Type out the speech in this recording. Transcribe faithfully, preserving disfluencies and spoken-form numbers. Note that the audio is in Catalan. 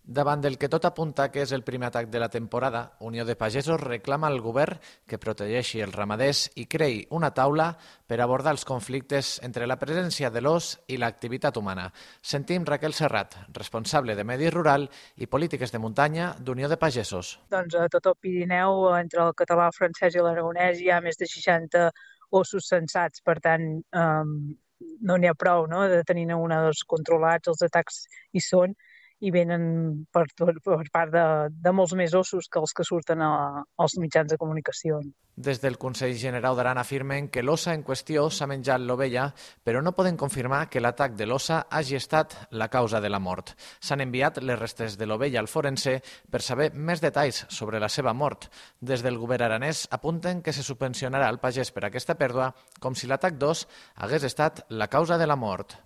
Davant del que tot apunta que és el primer atac de la temporada, Unió de Pagesos reclama al govern que protegeixi els ramaders i creï una taula per abordar els conflictes entre la presència de l'ós i l'activitat humana. Sentim Raquel Serrat, responsable de Medi Rural i Polítiques de Muntanya d'Unió de Pagesos. Doncs a tot el Pirineu, entre el català, el francès i l'aragonès, hi ha més de seixanta ossos censats, per tant, eh, no n'hi ha prou, no?, de tenir una dos controlats, els atacs hi són, i venen per, per part de, de molts més ossos que els que surten a, als mitjans de comunicació. Des del Consell Generau d'Aran afirmen que l'ossa en qüestió s'ha menjat l'ovella, però no poden confirmar que l'atac de l'ossa hagi estat la causa de la mort. S'han enviat les restes de l'ovella al forense per saber més detalls sobre la seva mort. Des del govern aranès apunten que se subvencionarà al pagès per aquesta pèrdua com si l'atac d'ós hagués estat la causa de la mort.